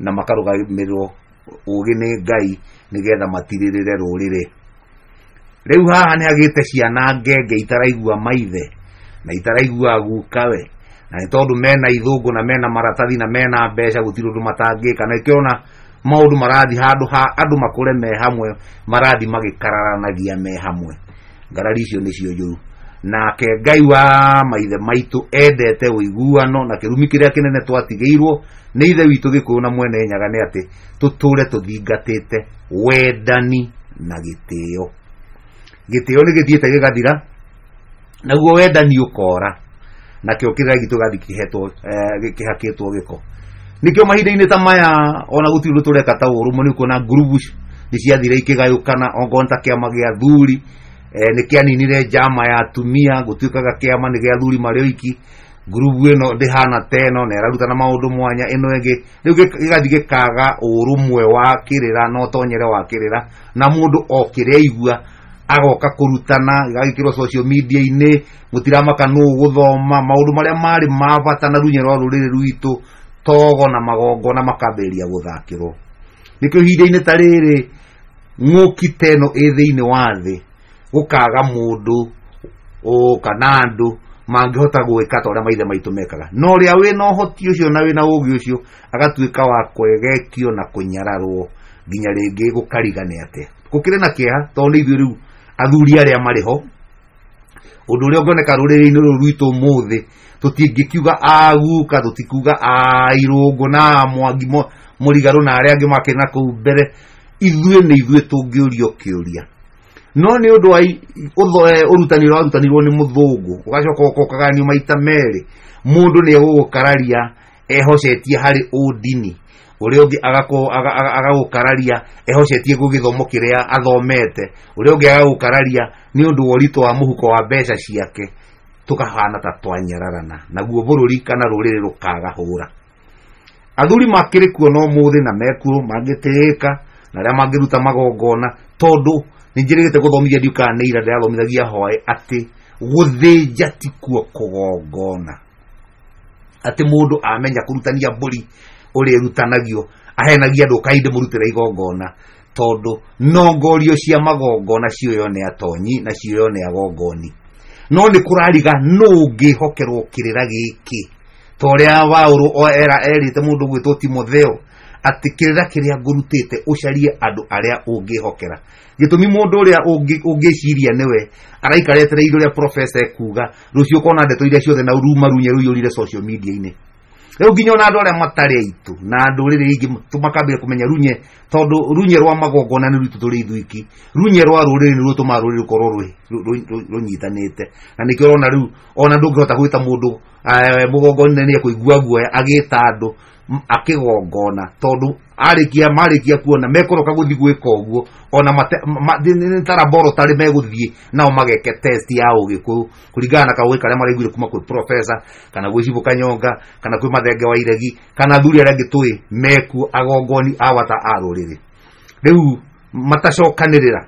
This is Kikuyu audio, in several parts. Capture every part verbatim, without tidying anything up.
Na makarũgamĩrĩrwo ũgĩ nĩ Ngai nĩgetha matirĩrĩre rũrĩrĩ. Rĩu haha nĩ hagĩte ciana ngenge itaraigua maithe na itaraigua gukawe, na nĩ tondũ mena ithũngũ na mena maratathi na mena mbeca, gũtirĩ ũndũ matangĩka. Na nĩkĩo ona maũndũ marathiĩ handũ ha andũ makũre me hamwe, marathiĩ magĩkararanagia me hamwe. Ngarari icio nĩcio njũru. Nake Ngai wa maithe maitũ endete ũiguano, na kĩrumi kĩrĩa kĩnene twatigĩirwo nĩ ithe witũ Gĩkũyũ na Mwene Nyaga nĩ atĩ tũtũre tũthingatĩte wendani na gĩtĩo. Gĩtĩo nĩ gĩthiĩte gĩgathira, naguo wendani ũkora, nakĩo kĩrĩa gitũ gĩgathiĩ kĩhetwo, eh, kĩhakĩtwo gĩko. Nĩkĩo mahinda-inĩ ta maya ona gũtirĩ ũndũ tũreka ta ũrũmwe, nĩ ũkuona ngurubu nĩ ciathire ikĩgayũkana, ongorwo nĩ ta kĩama gĩa athuri, eh, nĩ kĩaninire njama ya atumia, gũtuĩkaga kĩama nĩ gĩa athuri marĩ oiki, ngurubu ĩno ndĩhana ta ĩno na ĩrarutana maũndũ mwanya, ĩno ĩngĩ rĩu gĩgathiĩ gĩkaga ũrũmwe wa kĩrĩra na ũtonyere wa kĩrĩra, na mũndũ o kĩrĩa aigua agoka kũrutana, gĩgagĩkĩrwo social media-inĩ, mũtiramaka nũ ũgũthoma maũndũ marĩa marĩ ma bata na runye rwa rũrĩrĩ rwitũ, togo na magongona makambĩrĩria gũthakĩrwo. Nĩkĩo ihinda-inĩ ta rĩrĩ ng'ũki ta ĩno ĩ thĩinĩ wa thĩ, gũkaga mũndũ kana andũ mangĩhota gwĩka ta ũrĩa maithe maitũ mekaga, na ũrĩa wĩna ũhoti ũcio na wĩna ũgĩ ũcio agatuĩka wa kwegekio na kũnyararwo nginya rĩngĩ gũkarigane atĩa. Gũkĩrĩ na kĩeha tondũ nĩ ithuĩ rĩu athuri arĩa marĩ ho, ũndũ ũrĩa ũngĩoneka rũrĩrĩ-inĩ rũrũ rwitũ ũmũthĩ, tũtingĩkiuga aguka, tũtikiuga a Irũngũ na a Mwangi Mũrigarũ na arĩa angĩ makĩrĩ na kũu mbere, ithuĩ nĩ ithuĩ tũngĩũrio kĩũria. No nĩ ũndũ wa ũrutani ũrĩa warutanirwo nĩ mũthũngũ, ũgacoka ũgoka ũkagayanio maita merĩ, mũndũ nĩ egũgũkararia ehocetie harĩ ũndini, ũrĩa ũngĩ agagũkararia ehocetie gwĩ gĩthomo kĩrĩa athomete, ũrĩa ũngĩ agagũkararia nĩ ũndũ wa ũritũ wa mũhuko wa mbeca ciake, tũkahana ta twanyararana, naguo bũrũri kana rũrĩrĩ rũkaga hũra. Athuri makĩrĩ kuo no ũmũthĩ na mekuo mangĩtĩĩka na arĩa mangĩruta magongona, tondũ nĩ njĩrĩgĩte gũthomithia ndiũ kana nĩ ira ndĩrathomithagia hwaĩ atĩ gũthĩnja ti kuo kũgongona, atĩ mũndũ amenya kũrutania mbũri ũrĩa ĩrutanagio ahenagia andũ ũkai ndĩmũrutĩre igongona, tondũ nongorio cia magongona cioywo nĩ atonyi na cioywo nĩ agongoni. No nĩ kũrariga nũ ũngĩhokerwo kĩrĩra gĩkĩ, ta ũrĩa Paũlũ erĩte mũndũ ũgwĩtwo Timotheo atĩ kĩrĩra kĩrĩa ngũrutĩte ũcarie andũ arĩa ũngĩhokera. Gĩtũmi mũndũ ũrĩa ũngĩciria nĩwe araikara etereire ũrĩa professor ekuga, rũciũ ũkona ndeto iria ciothe na ruma runye rũiyũrire social media-inĩ. Rĩu nginya ona andũ arĩa matarĩ aitũ na ndũrĩrĩ ingĩ makambĩrĩria kũmenya runye, tondũ runye rwa magongona nĩ rwitũ tũrĩ ithuiki, runye rwa rũrĩrĩ nĩruo rũtũmaga rũrĩrĩ rũkorwo rũnyitanĩte. Na nĩkĩo ũrona rĩu ona ndũngĩhota gwĩta mũndũ mũgongoni nĩ ekũigua guoya agĩta andũ akĩgongona, tondũ arĩkia marĩkia kuona mekũroka gũthiĩ gwĩka ũguo, ona nĩ ta laboratory megũthiĩ nao mageke test ya ũgĩkũyũ kũringana na kaũgĩ karĩa maraiguire kuma kwĩ professor kana gwĩ Cibũ Kanyonga kana kwĩ Mathenge wa Iregi kana athuri arĩa angĩ tũĩ mekuo agongoni a bata a rũrĩrĩ. Rĩu matacokanĩrĩra,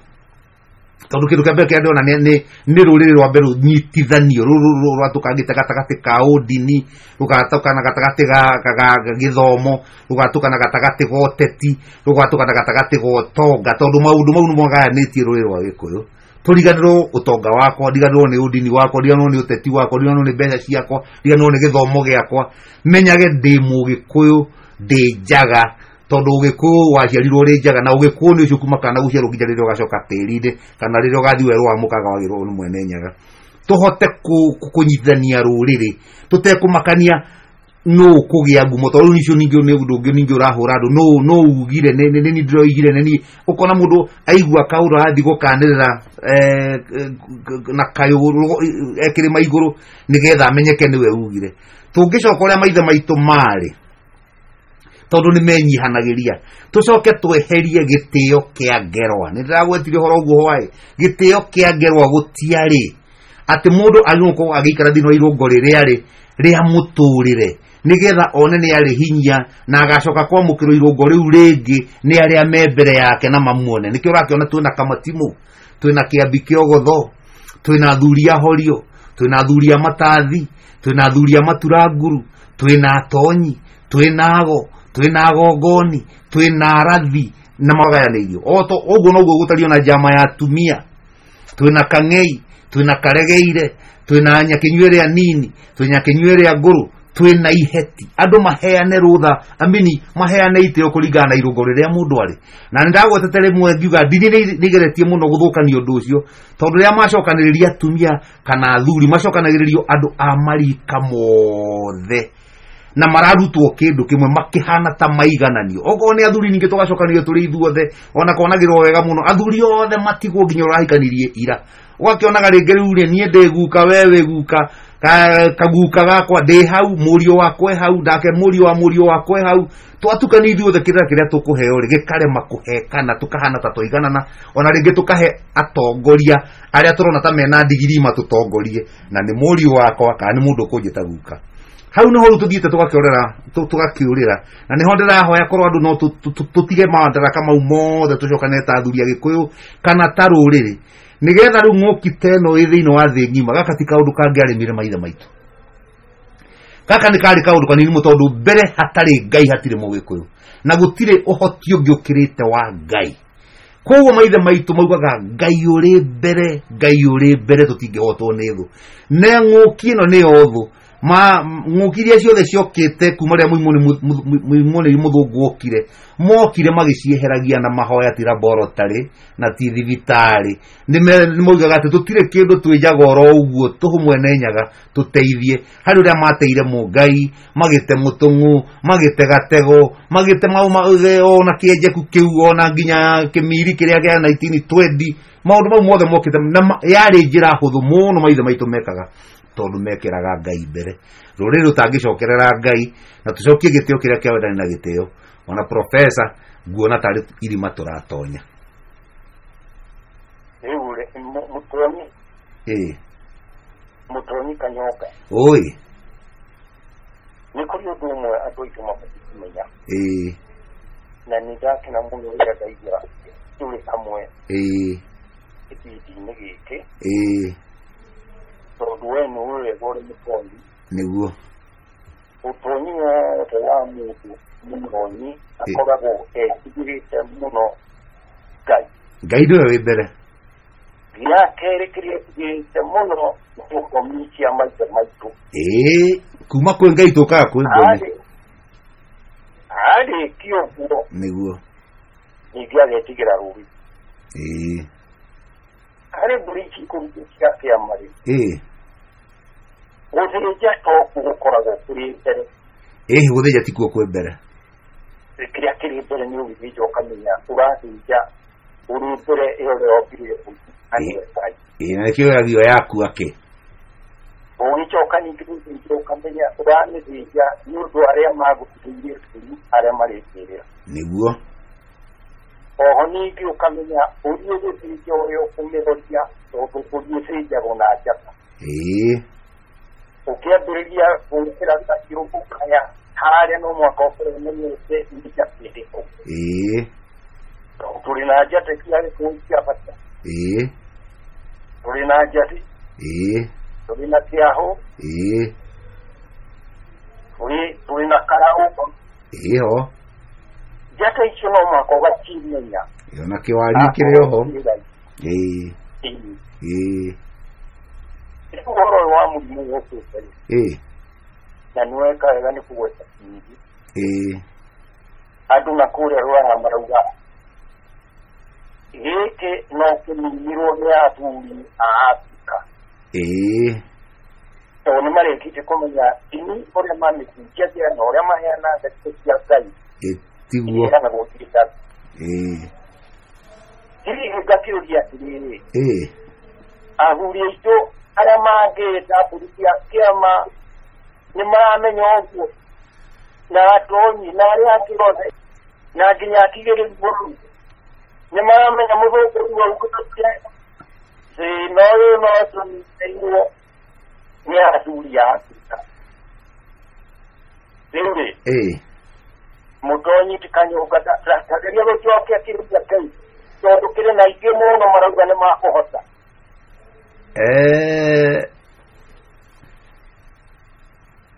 tondũ kĩndũ kĩa mbere kĩrĩa ndĩrona nĩ nĩ rũrĩrĩ rwambe rũnyitithanio, rũrũ rwatũkangĩte gatagatĩ ka ũndini, rũgatũkana gatagatĩ ga gĩthomo, rũgatũkana gatagatĩ ga ũteti, rũgatũkana gatagatĩ ga ũtonga, tondũ maũndũ mau nĩmo magayanĩtie rũrĩrĩ rwa Gĩkũyũ. Tũriganĩrwo ũtonga wakwa, ndiganĩrwo nĩ ũndini wakwa, ndiganĩrwo nĩ ũteti wakwa, ndiganĩrwo nĩ mbeca ciakwa, ndiganĩrwo nĩ gĩthomo gĩakwa, menyage ndĩ mũgĩkũyũ, ndĩ njaga, tondũ ũgĩkũyũ waciarirwo ũrĩ njaga, na ũgĩkũyũ nĩ ũcio kuma kana gũciarwo nginya rĩrĩa ũgacoka tĩri-inĩ kana rĩrĩa ũgathiĩ werũ wa mũkaga wagĩrwo nĩ Mwene Nyaga. Tũhote kũnyitithania rũrĩrĩ tũtekũmakania nũ ũkũgĩa ngumo, tondũ rĩu icio ningĩ nĩ ũndũ ũngĩ ningĩ ũrahũra andũ, nũ nũ ugire, nĩ niĩ ndĩroigire, nĩ niĩ. Ũkona mũndũ aigua kaũndũ arathiĩ gũkanĩrĩra na kayũ ekĩrĩma igũrũ nĩgetha amenyeke nĩwe ugire. Tũngĩcoka ũrĩa maithe maitũ marĩ, tondũ nĩ menyihanagĩria, tũcoke tweherie gĩtĩo kĩa ngerwa. Nĩ ndĩragwetire ũhoro ũguo hwaĩ, gĩtĩo kĩa ngerwa gũtiarĩ atĩ mũndũ agĩrĩirwo gũkorwo agĩikara thĩinĩ wa irũngo rĩrĩa rĩ rĩa mũtũrĩre nĩgetha one nĩ arĩ hinya na agacoka kwamũkĩrwo irũngo rĩu rĩngĩ nĩ arĩa me mbere yake na mamuone. Nĩkĩo ũrakĩona twĩna Kamatimũ, twĩna Kĩambi Kĩogotho, twĩna athuri a Horio, twĩna athuri a Matathi, twĩna athuri a Maturanguru, twĩna atonyi, twĩna ago, twina agongoni, twina arathi na magayanĩirio. O to ũguo noguo gũtario na njama ya atumia. Twina kang'ei, twina karegeire, twina nyakinyua ĩrĩa nini, twina nyakinyua ĩrĩa ngũrũ, twina iheti. Andũ maheane rũtha, amini maheane itĩo kũringana na irũngo rĩrĩa mũndũ arĩ. Na nĩndagwetete rĩmwe ngiuga ndini nĩigeretie mũno gũthũkania ũndũ ũcio, tondũ rĩrĩa macokanĩrĩria atumia kana athuri, macokanagĩrĩrio andũ a marika mothe na mararutwo kĩndũ kĩmwe makĩhana ta maigananio. Okorwo nĩ athuri ningĩ tũgacokanĩrio tũrĩ ithuothe, ona konagĩrwo wega mũno, athuri othe matigwo nginya ũrahikanirie ira. Ũgakĩonaga rĩngĩ rĩu rĩ, niĩ ndĩ guka, we wĩ guka, kaguka gakwa ndĩ hau, mũriũ wakwa e hau, nake mũriũ wa mũriũ wakwa e hau. Twatukania ithuothe kĩrĩra kĩrĩa tũkũheo rĩ, gĩkarema kũhekana, tũkahana ta twaiganana, ona rĩngĩ tũkahe atongoria arĩa tũrona ta mena ndigiri matũtongorie, na nĩ mũriũ wakwa kana nĩ mũndũ ũkũnjĩta guka. Hau nĩho rĩu tũthiĩte tũgakĩorera, tũgakĩũrĩra, na nĩho ndĩrahoya korwo andũ no tũtige madaraka mau mothe tũcokane ta athuri a Gĩkũyũ kana ta rũrĩrĩ, nĩgetha rĩu ng'ũki ta ĩno ĩ thĩinĩ wa thĩ ng'ima. Gaka ti kaũndũ kangĩarĩmire maithe maitũ, gaka nĩ karĩ kaũndũ kanini mũno, tondũ mbere hatarĩ Ngai hatirĩ Mũgĩkũyũ, na gũtirĩ ũhoti ũngĩ ũkĩrĩte wa Ngai. Koguo maithe maitũ maugaga Ngai ũrĩ mbere, Ngai ũrĩ mbere, tũtingĩhotwo nĩ thũ. Na ng'ũki ĩno nĩyo thũ. Ma ng'ũki iria ciothe ciokĩte kuma rĩrĩa mũimũ mũthũngũ okire, mokire magĩcieheragia na mahoya, ti laboratory na ti thibitarĩ. Nĩ moigaga atĩ tũtirĩ kĩndũ twĩnjaga oro ũguo tũhũ mwene Nyaga tũteithie. Harĩ ũrĩa mateire Mũngai, magĩte mũtũng'ũ, magĩte gatego, magĩte mau ona kĩenjeku kĩu, ona nginya kĩmiri kĩrĩa kĩa nineteen twenty, maũndũ mau mothe mokĩte na yarĩ njĩra hũthũ mũno maithe maitũ mekaga, tondũ mekĩraga Ngai mbere. Rũrĩrĩ rũtangĩcokerera Ngai na tũcokie gĩtĩo kĩrĩa kĩa wendani na gĩtĩo, ona profesa nguona tarĩ irima tũratonya. Rĩu rĩ, mũtonyi ĩĩ, mũtonyi Kanyoka, oi nĩ kũrĩ ũndũ ũmwe andũ aitũ mabatiĩ kũmenya, ĩĩ, na nĩ ndakena mũno rĩrĩa ndaigua tũrĩ hamwe ĩĩ, gĩbindi-inĩ gĩkĩ, ĩĩ, tondũ we nĩũĩ wega ũrĩ mũtonyi. Nĩguo ũtonyi wothe wa mũndũ mũtonyi akoragwo etigĩrĩte mũno Ngai. Ngai nĩwe wĩ mbere. Gĩa kerĩ kĩrĩa etigĩrĩte mũno nĩ ngomi cia maithe maitũ. Ĩĩ, kuma kwĩ Ngai tũkaga kwĩ ngomi. Arĩkia ũguo nĩguo ningĩ agetigĩra rũrĩrĩ. Ĩĩ, harĩ mbũri ici ikũrutwo cia kĩama rĩ, ĩĩ, gũthĩnja to gũkoragwo kũrĩ mbere. Ĩĩ, gũthĩnja tikuo kwĩ mbere. Kĩrĩa kĩrĩ mbere nĩ ũgĩthĩnja ũkamenya ũrathĩnja ũrĩ mbere ĩyo ũrĩa wombire na nĩwe Ngai. Ĩĩ, na nĩkĩo yagio yaku akĩ. Ũgĩcoka ningĩ gũthĩnja ũkamenya ũramĩthĩnja nĩ ũndũ arĩa magũtigĩire bũrũri arĩa marĩkĩrĩra. Nĩguo. Oho ningĩ ũkamenya ũrĩa ũgũthĩnja ũrĩa ũkũmĩhoria, tondũ mbũri ĩthĩnjagwo na njata. Ĩĩ, ũkĩambĩrĩria gwĩkĩra gaciũ ũkaya harĩa no mũhaka ũkorwo ũmenyete nĩ njata ĩrĩkũ. Ĩĩ, tondũ tũrĩ na njata cia Gĩkũyũ cia bata. Ĩĩ, tũrĩ na njati. Ĩĩ, tũrĩ na kĩahũ. Ĩĩ, tũrĩ tũrĩ na karaũ. Ĩĩ ho. Njata icio no mũhaka ũgacimenya. Ĩyo na kĩwari kĩrĩ oho. Ĩĩ, ĩĩ, Rĩu ũhoro ũyũ wa mũrimũ ũkĩte rĩ, ĩĩ, na nĩ weka wega nĩ kũgweta kĩindi. Ĩĩ, Andũ na kũrĩa Rũraya marauga gĩkĩ no kĩninirwo nĩ athuri a Afrika. Ĩĩ, Tondũ nĩ marĩkĩtie kũmenya ndini ũrĩa mamĩhunjagia na ũrĩa maheanaga ndeto cia Ngai. Ĩĩ, tiguo. Iheanagwo thirikari. Ĩĩ, Hihi ngakĩũria atĩrĩrĩ, ĩĩ, athuri aitũ arĩa mangĩta mbũri cia kĩama nĩ maramenya ũguo, na atonyi na arĩa angĩ othe, na nginya atigĩrĩri bũrũri nĩ maramenya mũthũngũ rĩu aukĩte thĩna ũyũ no tũnyitĩirwo nĩ athuri a Afrika. Rĩu rĩ, ĩĩ, mũtonyi ti Kanyũnga, tageria gũcokia kĩũria kĩu, tondũ kĩrĩ na aingĩ mũno marauga nĩ makũhota. Eh,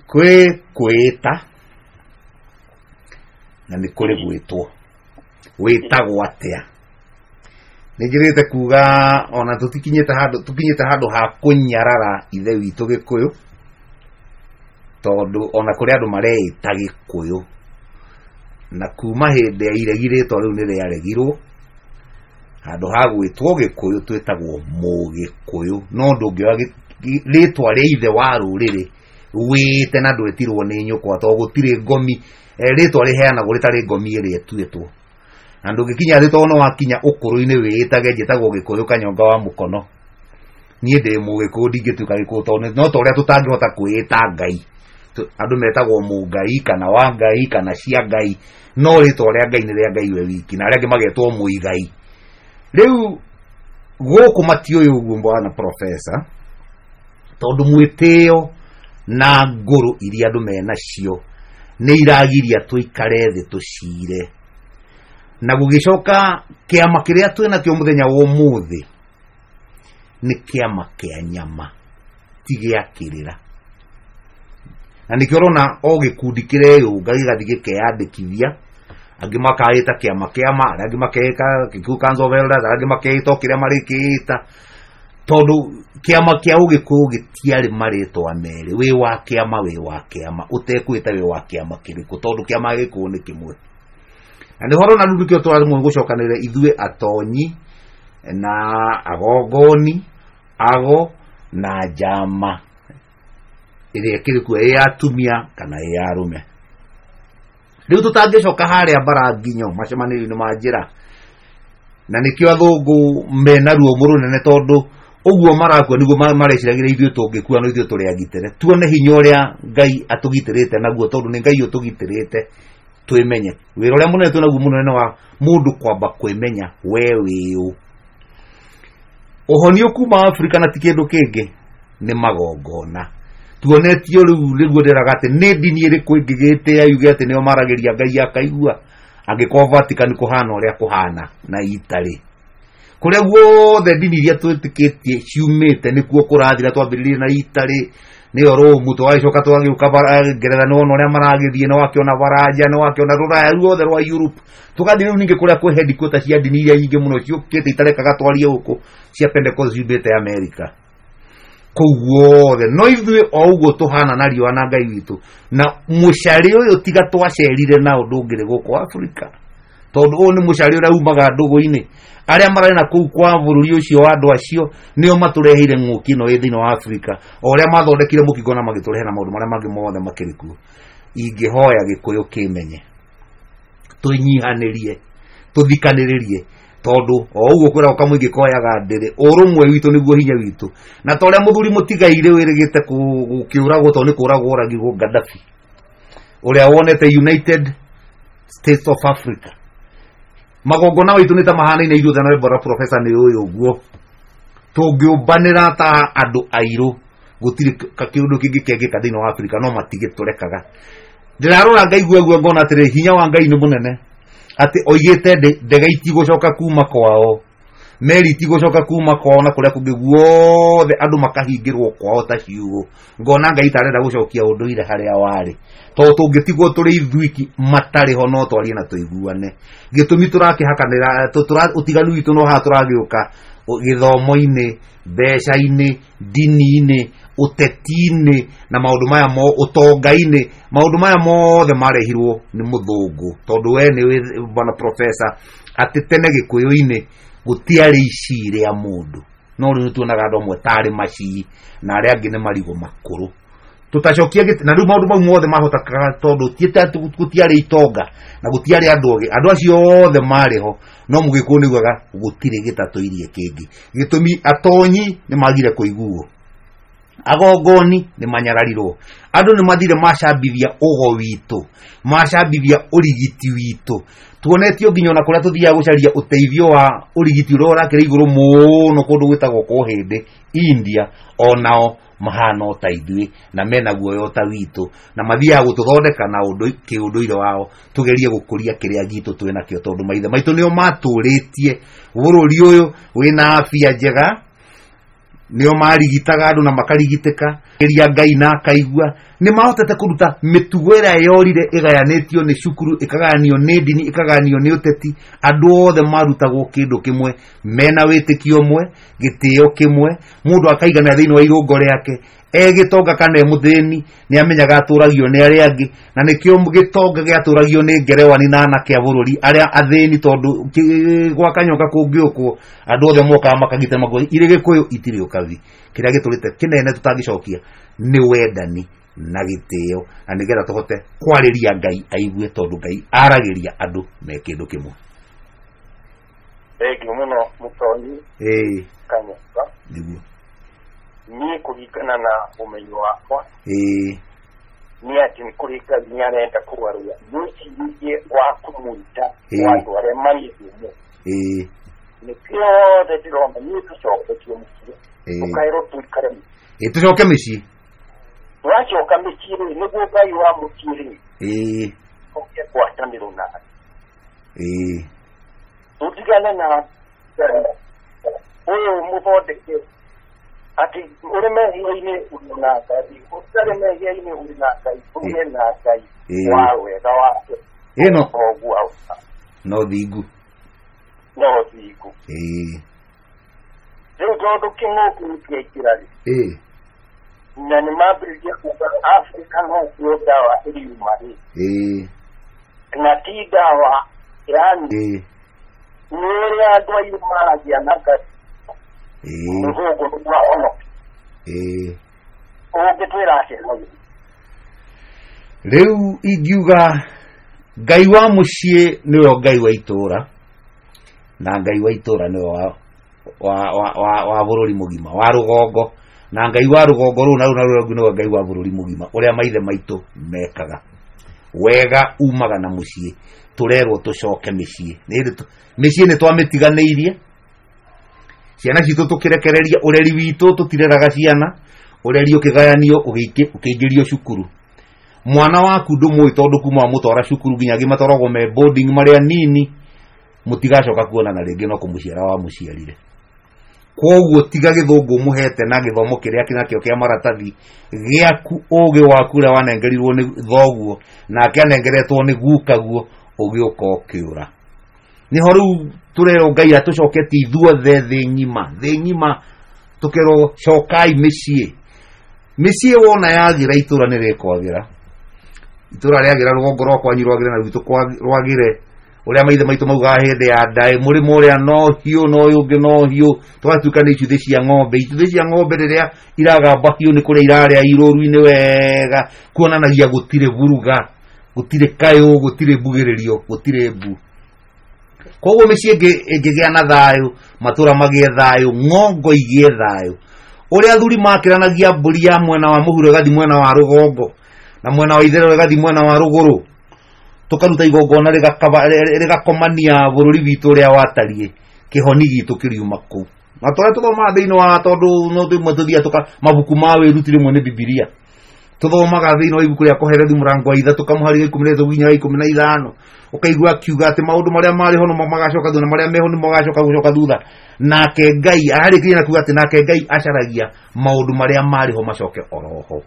kwĩ kwĩta Na nĩ kũrĩ gwĩtwo. Wĩtagwo atĩa? Nĩ njĩrĩte kuga ona tũtikinyĩte handũ tũkinyĩte handũ ha kũnyarara ithe witũ Gĩkũyũ, tondũ ona kũrĩ andũ mareĩta Gĩkũyũ, na kuma hĩndĩ ya iregi rĩtwa rĩu nĩ rĩaregirwo. Handũ ha gwĩtwo Gĩkũyũ twĩtagwo Mũgĩkũyũ, no ndũngĩoya rĩtwa rĩa ithe wa rũrĩrĩ wĩte na ndwĩtirwo nĩ nyũkwa, tondũ gũtirĩ ngomi rĩtwa rĩheanagwo rĩtarĩ ngomi ĩrĩa ĩtuĩtwo. Na ndũngĩkinya thĩ tondũ no wakinya ũkũrũ-inĩ wĩĩtage njĩtagwo Gĩkũyũ Kanyonga wa Mũkono, niĩ ndĩ Mũgĩkũyũ ndingĩtuĩka Gĩkũyũ, tondũ no ta ũrĩa tũtangĩhota kwĩĩta Ngai. Andũ metagwo Mũngai kana wa Ngai kana cia Ngai, no rĩtwa rĩa Ngai nĩ rĩa Ngai we wiki, na arĩa angĩ magetwo Mũigai. Rĩu gũkũ matiũĩ ũguo bwana professor, tondũ mwĩtĩo na ngũrũ iria andũ menacio nĩ iragiria tũikare thĩ tũcire. Na gũgĩcoka kĩama kĩrĩa twĩnakĩo mũthenya wa ũmũthĩ nĩ kĩama kĩa nyama, ti gĩa kĩrĩra. Na nĩkĩo ũrona o gĩkundi kĩreyũnga gĩgathiĩ gĩkeyandĩkithia, angĩ makaĩta kĩama kĩama, arĩa angĩ makeĩka Kikuyu Council of Elders, arĩa angĩ makeĩta o kĩrĩa marĩkĩĩta, tondũ kĩama kĩa Ũgĩkũyũ gĩtiarĩ marĩtwa merĩ, wĩ wa kĩama wĩ wa kĩama, ũtekwĩta wĩ wa kĩama kĩrĩkũ, tondũ kĩama Gĩkũyũ nĩ kĩmwe. Na nĩho ũrona rĩu nĩkĩo tũraremwo nĩ gũcokanĩrĩra ithuĩ atonyi na agongoni, ago na njama ĩrĩa ĩkĩrĩ kuo, ĩ ya atumia kana ĩ ya arũme. Rĩu tũtangĩcoka harĩa Mbaranginyo macemanĩrio-inĩ ma njĩra, na nĩkĩo athũngũ mena ruo mũrũnene, tondũ ũguo marakua nĩguo mareciragĩria ithuĩ tũngĩkua no ithuĩ tũrĩ agitĩre. Tuone hinya ũrĩa Ngai atũgitĩrĩte naguo, tondũ nĩ Ngai ũtũgitĩrĩte, twĩmenye. Wĩra ũrĩa mũnene twĩnaguo mũnene wa mũndũ kwamba kwĩmenya we wĩũ. Ũhonio kuma Afrika na ti kĩndũ kĩngĩ nĩ magongona. Tuonetio rĩu nĩguo ndĩraga atĩ nĩ ndini ĩrĩkũ ĩngĩgĩtĩa yuge atĩ nĩo maragĩria Ngai akaigua, angĩkorwo Vatican kũhana ũrĩa kũhana na Italy. Kũrĩa guothe ndini iria twĩtĩkĩtie ciumĩte nĩkuo kũrathira, twambĩrĩirie na Italy nĩyo Rome, tũgagĩcoka tũgagĩũka Ngeretha, nĩwona ũrĩa maragĩthiĩ, nĩwakĩona Baranja, nĩwakĩona rũraya ruothe rwa Europe, tũgathiĩ rĩu ningĩ kũrĩa kwĩ headquarter cia ndini iria nyingĩ mũno ciũkĩte itarekaga twarie gũkũ cia Pentecost ciumĩte America. Kũu guothe no ithuĩ o ũguo tũhana na riũa na Ngai witũ, na mũcarĩ ũyũ tiga twacerire nao ndũngĩrĩ gũkũ Afrika, tondũ ũyũ nĩ mũcarĩ ũrĩa umaga ndũgũ-inĩ. Arĩa mararĩ na kũu kwa bũrũri ũcio wa andũ acio nĩo matũreheire ng'ũki ĩno ĩ thĩinĩ wa Afrika, o ũrĩa mathondekire mũkingo na magĩtũrehe na maũndũ marĩa mangĩ mothe makĩrĩ kuo. Ingĩhoya Gĩkũyũ kĩmenye, twĩnyihanĩrie, tũthikanĩrĩrie, tondũ o ũguo kwĩragwo kamũingĩ koyaga ndĩrĩ, ũrũmwe witũ nĩguo hinya witũ. Na ta ũrĩa mũthuri mũtigairĩ wĩrĩgĩte gũkĩũragwo, tondũ nĩ kũragwo oragirwo Gaddafi, ũrĩa wonete United States of Africa. Magongona maitũ nĩ ta mahanaine ithuothe, nawe bora professor nĩ ũyũ ũguo. Tũngĩũmbanĩra ta andũ airũ gũtirĩ kĩũndũ kĩngĩ kĩngĩka thĩinĩ wa Afrika, no matigĩtũrekaga. Ndĩrarora ngaigua guo ngona atĩrĩ, hinya wa Ngai nĩ mũnene, atĩ oigĩte ndege itigũcoka kuma kwao, meri itigũcoka kuma kwao, na kũrĩa kũngĩ guothe andũ makahingĩrwo kwao ta ciugũ. Ngona Ngai tarenda gũcokia ũndũire harĩa warĩ, tondũ tũngĩtigwo tũrĩ ithuiki matarĩ ho no twarie na tũiguane. Gĩtũmi tũrakĩhakanĩra, ũtiganu witũ no haha tũragĩũka gĩthomo-inĩ, mbeca-inĩ, ndini-inĩ, ũteti-inĩ, na maũndũ maya mo ũtonga-inĩ. Maũndũ maya mothe marehirwo nĩ mũthũngũ, tondũ we nĩ bwana professor atĩ tene Gĩkũyũ-inĩ gũtiarĩ ici rĩa mũndũ, no rĩu nĩtuonaga andũ amwe tarĩ macii na arĩa angĩ nĩ marigũ makũrũ. Tũtacokia gĩtĩ, na rĩu maũndũ mau mothe mahotekaga tondũ gũtiarĩ itonga na gũtiarĩ andũ ogĩ. Andũ acio othe marĩ ho, no Mũgĩkũyũ nĩaugaga gũtirĩ gĩtatũirie kĩngĩ. Gĩtũmi atonyi nĩ magire kũiguo, agongoni nĩ manyararirwo, andũ nĩ mathire macambithia ũgo witũ, macambithia ũrigiti witũ. Tuonetio nginya ona kũrĩa tũthiaga gũcaria ũteithio wa ũrigiti ũrĩa ũrakĩrĩ igũrũ mũno kũndũ gwĩtagwo Kũhĩndĩ India, onao mahana o ta ithuĩ na mena guoya o ta witũ, na mathiaga gũtũthondeka na ũndũ kĩũndũire wao, tũgerie gũkũria kĩrĩa gitũ twĩnakĩo, tondũ maithe maitũ nĩo matũrĩtie bũrũri ũyũ wĩna afya njega. Nĩo marigitaga andũ na makarigitĩka ĩria Ngai na akaigua. Nĩ mahotete kũruta mĩtugo ĩrĩa yorire ĩgayanĩtio nĩ cukuru, ĩkagayanio nĩ ndini, ĩkagayanio nĩ ũteti. Andũ othe marutagwo kĩndũ kĩmwe, mena wĩtĩkio ũmwe, gĩtĩo kĩmwe, mũndũ akaiganĩra thĩinĩ wa irũngo rĩake. E gĩtonga kana e mũthĩni nĩ amenyaga atũragio nĩ arĩa angĩ, na nĩkĩo gĩtonga gĩatũragio nĩ ngerewani na anake a bũrũri arĩa athĩni, tondũ gwa kanyoka kũngĩũkwo andũ othe mokaga makagita maguo irĩ Gĩkũyũ itirĩ ũkabi. Kĩrĩa gĩtũrĩte kĩnene tũtangĩcokia nĩ wendani na gĩtĩo, na nĩgetha tũhote kwarĩria Ngai aigue, tondũ Ngai aragĩria andũ me kĩndũ kĩmwe. Thengiũ mũno Mũtonyi. Ĩĩ. Kanyoka. Nĩguo. Niĩ kũringana na ũmenyo wakwa, Ĩĩ. nĩ atĩ nĩ kũrĩ Ngai nĩ arenda kũgarũra mwĩcirĩrie wa kũmwĩta Ĩĩ. wa andũ arĩa marĩ thĩ. Ĩĩ. Nĩkĩo othe ndĩrona niĩ tũcoketio mũciĩ. Ĩĩ. Tũkaĩrwo tũikare mũciĩ. Ĩĩ, tũcoke mĩciĩ. Twacoka mĩciĩ rĩ, nĩguo Ngai wa mũciĩ rĩ, Ĩĩ. oke ngwatanĩro nake. Ĩĩ. Tũtigane na ũyũ mũthondeke atĩ ũrĩ mehia-inĩ ũrĩ na Ngai, ũtarĩ mehia-inĩ ũrĩ na Ngai, ũrĩ na Ngai Ĩĩ. wa wega wake. Ĩno. Ũguo auga. No thingu. No thingu. Ĩĩ. Rĩu tondũ kĩng'ũki nĩkĩaingĩra rĩ, Ĩĩ. na nĩ mambĩrĩria kuga Afrika no kuo ndawa ĩriuma rĩ, Ĩĩ. na ti ndawa yani Ĩĩ. nĩ ũrĩa andũ airũ maragia na Ngai. Ĩĩ. Mũthũngũ nĩguo ahonoke. Ĩĩ. Ũngĩtwĩra atĩa hau? Rĩu ingiuga Ngai wa mũciĩ nĩwe Ngai wa itũũra, na Ngai wa itũũra nĩwe wa, wa, wa, wa, wa bũrũri mũgima, wa rũgongo, na Ngai wa rũgongo rũu na rũu na rũu nĩwe Ngai wa bũrũri mũgima, ũrĩa maithe maitũ mekaga. Wega umaga na mũciĩ, tũrerwo tũcoke mĩciĩ. Nĩ hĩndĩ tũ-, mĩciĩ nĩ twamĩtiganĩirie, ciana citũ tũkĩrekereria, ũreri witũ tũtireraga ciana, ũreri ũkĩgayanio, ũgĩingĩ-, ũkĩingĩrio cukuru. Mwana waku ndũmũĩ tondũ kuma wamũtwara cukuru nginya angĩ matwaragwo me boarding marĩa nini, mũtigacoka kuonana rĩngĩ no kũmũciara wamũciarire. Kwoguo tiga gĩthũngũ ũmũhete na gĩthomo kĩrĩa kĩnakĩo kĩa maratathi gĩaku, ũgĩ waku ũrĩa wanengerirwo nĩ thoguo nake anengeretwo nĩ gukaguo, ũgĩũka ũkĩũra. Nĩho rĩu tũrerwo Ngai atũcoketie ithuothe thĩ ng'ima, thĩ ng'ima tũkerwo cokai mĩciĩ. Mĩciĩ wona yagĩra itũra nĩ rĩkwagĩra. Itũra rĩagĩra rũgongo rwa kwanyu rwagĩre na rwitũ rwagĩre. Ũrĩa maithe maitũ maugaga hĩndĩ ya ndaĩ, mũrĩmo ũrĩa no hiũ, no ũyũ ũngĩ no hiũ, tũgatuĩka nĩ icuthĩ cia ng'ombe. Icuthĩ cia ng'ombe rĩrĩa iragamba hiũ nĩ kũrĩa irarĩa irũru-inĩ wega, kuonanagia gũtirĩ buruga, gũtirĩ kayũ, gũtirĩ mbugĩrĩrio, gũtirĩ mbu. Koguo mĩciĩ ĩngĩ ĩngĩgĩa na thayũ, matũra magĩe thayũ, ng'ongo igĩe thayũ. Ũrĩa athuri makĩranagia mbũri ya mwena wa mũhuro ĩgathiĩ mwena wa rũgongo, na mwena wa itherero ĩgathiĩ mwena wa rũgũrũ, tũkaruta igongona rĩgakomania bũrũri witũ ũrĩa watariĩ, kĩhoni gitũ kĩriuma kũu. Na tũrĩa tũthomaga thĩinĩ wa, tondũ no rĩmwe tũthiaga tũka mabuku ma wĩruti rĩmwe nĩ Bibilia. Tũthomaga thĩinĩ wa ibuku rĩa Kohelethu mũrango wa ithatũ kamũhari ga ikũmi na ithatũ nginya wa ikũmi na ithano, ũkaigua akiuga atĩ maũndũ marĩa marĩ ho nĩmo magacoka thutha, na marĩa meho nĩmo magacoka gũcoka thutha. Nake Ngai ararĩkĩria na kuuga atĩ nake Ngai acaragia maũndũ marĩa marĩ ho macoke oroho.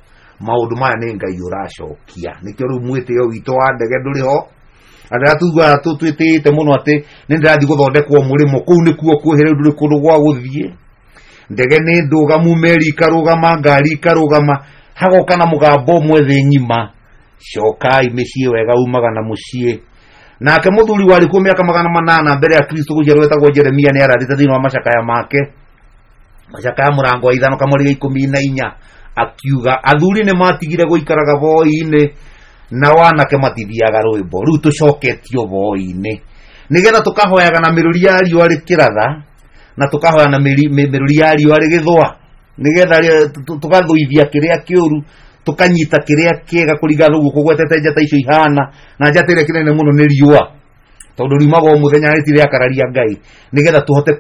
Maũndũ maya nĩ Ngai ũracokia. Nĩkĩo rĩu mwĩtĩo witũ wa ndege ndũrĩ ho. Andũ arĩa tuguaga twĩtĩĩte mũno atĩ nĩ ndĩrathiĩ gũthondekwo mũrĩmo, kũu nĩkuo kwĩhĩ, rĩu ndũrĩ kũndũ gwa gũthiĩ. Ndege nĩ ndũgamu, meri ikarũgama, ngari ikarũgama, hagoka na mũgambo ũmwe thĩ ng'ima, cokai mĩciĩ, wega umaga na mũciĩ. Nake mũthuri warĩ kuo mĩaka magana manana mbere ya Kristo gũciarwo wetagwo Jeremia nĩ arathĩte thĩinĩ wa macakaya make, macakaya mũrango wa ithano kamũri ga ikũmi na inya, akiuga athuri nĩ matigire gũikaraga boi-inĩ na wanake matithiaga rwĩmbo. Rĩu tũcoketio boi-inĩ nĩgetha tũkahoyaga na mĩrũri ya riũa rĩkĩratha, na tũkahoya na mĩrũri ya riũa rĩgĩthũa, nĩgetha tũgathũithia kĩrĩa kĩũru, tũkanyita kĩrĩa kĩega kũringana na ũguo kũgwetete njata icio ihana, na njata ĩrĩa kĩnene mũno nĩ riũa, tondũ riumaga o mũthenya na rĩtirĩ rĩakararia Ngai, nĩgetha tũhote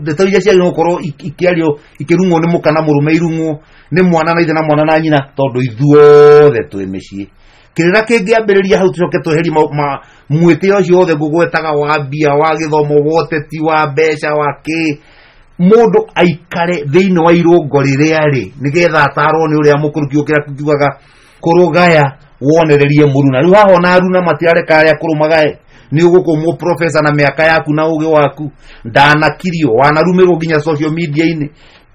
ndeto iria ciagĩrĩirwo gũkorwo ikĩario ikĩrung'wo nĩ mũka na mũrũme, irung'wo nĩ mwana na ithe na mwana na nyina, tondũ ithuothe twĩ mĩciĩ. Kĩrĩra kĩngĩambĩrĩria hau tũcoke tweherie mwĩtĩo ũcio wothe ngũgwetaga wa mbia, wa gĩthomo, wa ũteti, wa mbeca, wa kĩ, Mundu aikare thiini wa irungo riria ri nigetha atarwo ni uria mukuru kiukira kiugaga kurugaya wonererie muruna. Riu haha ona aruna matirareka aria kurumagae ni ugukumwo professor na miaka yaku na ugi waku ndanakirio wanarumirwo nginya social media ini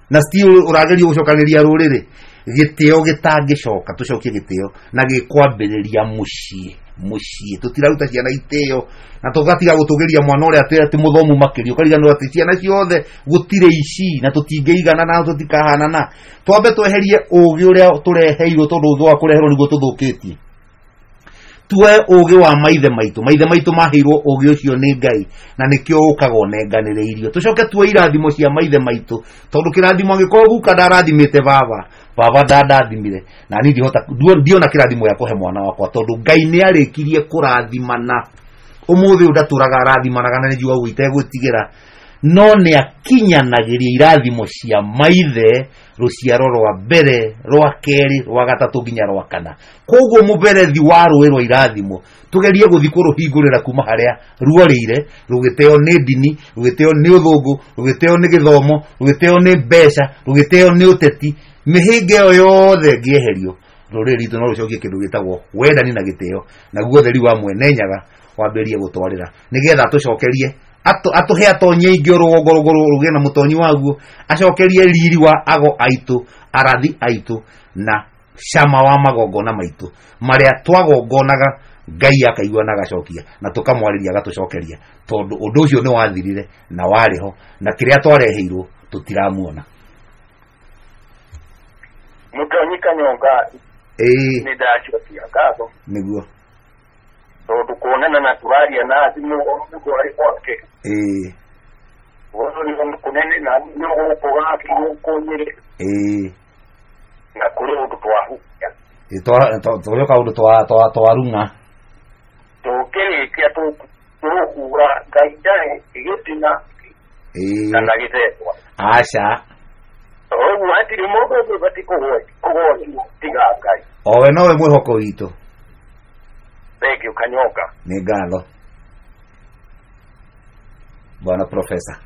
na still uragerio gucokaniria ruriri. Gitio gitangicoka tucokie gitio na gikwambiriria mucii mucii tutiraruta ciana itio na tugatiga gutugiria mwana uria ati ati muthomu makiria ukariganirwo ati ciana ciothe gutire ici na tutingĩigana na tutikahanana. Twambe tweherie ugi uria tureheirwo tondu ugi wa kureherwo niguo tuthukitie. Tuoe ugi wa maithe maitu, maithe maitu maheirwo ugi ucio ni Ngai na nikio ukaga unenganĩrĩirio. Tucoke tuoe irathimo cia maithe maitu tondu kirathimo angikorwo guka ndarathimĩte baba, baba ndandathimire na ni ndihota ndiona kirathimo ya kuhe mwana wakwa tondu Ngai nĩ arĩkirie kũrathimana. Ũmũthĩ ũyũ ndatũraga arathimanaga na nĩnjua ũguo itegwĩtigĩra, no nĩ akinyanagĩria irathimo cia maithe rũciaro rwa mbere rwa kerĩ rwa gatatũ nginya rwa kana. Koguo mũberethi wa rũĩ rwa irathimo tugerie gũthiĩ kũrũhingũrĩra kuma harĩa ruorĩire, rũgĩteo nĩ ndini, rũgĩteo nĩ ũthũngũ, rũgĩteo nĩ gĩthomo, rũgĩteo nĩ mbeca, rũgĩteo nĩ ũteti. Mĩhĩnga ĩyo yothe ĩngĩeherio rũrĩrĩ rwitũ no rũcokie kĩndũ gĩtagwo wendani na gĩtĩo, naguo ũtheri wa mwene Nyaga wambĩrĩrie gũtwarĩra nĩgetha tũcokerie atuhe atonyi aingĩ rũgongo rũgĩe na mũtonyi waguo, acokerie riri wa ago aitũ, arathi aitũ na cama wa magongona maitũ marĩa twagongonaga Ngai akaigua na agacokia na tũkamwarĩria agatũcokeria, tondũ ũndũ ũcio nĩ wathirire na warĩ ho na kĩrĩa twareheirwo tũtiramuona. Mũtonyi Kanyonga ĩĩ nĩ ndacokia ngatho nĩguo tondu kuonana na turaria na thimu mũndũ arĩ gwake ĩĩ ũhoro kunene na nĩ gũkũ gaki gũkũ Nyĩrĩ ĩĩ na kũrĩ ũndũ twahukia tũrĩ kaũndũ twarung'a tũkĩrĩkia tũkuga Ngai ndarĩ gĩtina kana gĩthethwa aca ũguo hatirĩ mũndũ ũngĩ ũbatiĩ kũgocwo tiga Ngai owe nowe mwĩhoko witũ. Thank you Kanyonga. Nĩ ngatho bwana professor.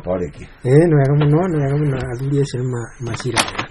Twarĩkia. Ĩĩ nĩ wega mũno, nĩ wega mũno athuri acio nĩ maciraga.